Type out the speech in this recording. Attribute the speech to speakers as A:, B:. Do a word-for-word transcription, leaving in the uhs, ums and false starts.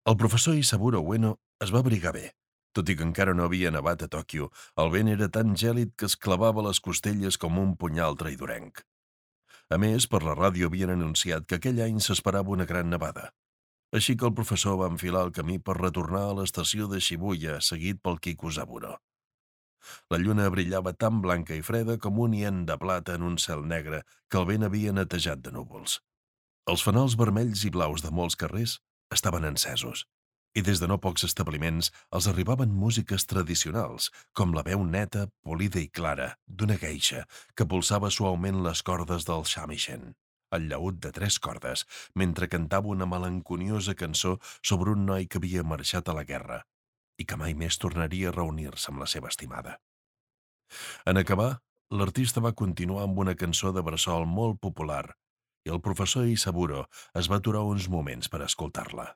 A: El professor Isaburo Ueno es va abrigar bé. Tot i que encara no havia nevat a Tòquio, el vent era tan gèlid que es clavava a les costelles com un punyal traïdorenc. A més, per la ràdio havien anunciat que aquell any s'esperava una gran nevada. Així que el professor va enfilar el camí per retornar a l'estació de Shibuya, seguit pel Kikusaburo. La lluna brillava tan blanca i freda com un hien de plata en un cel negre que el vent havia netejat de núvols. Els fanals vermells i blaus de molts carrers estaven encesos, i des de no pocs establiments els arribaven músiques tradicionals, com la veu neta, polida i clara d'una geisha que pulsava suaument les cordes del shamisen, el llaüt de tres cordes, mentre cantava una melanconiosa cançó sobre un noi que havia marxat a la guerra i que mai més tornaria a reunir-se amb la seva estimada. En acabar, l'artista va continuar amb una cançó de bressol molt popular i el professor Isaburo es va aturar uns moments per escoltar-la.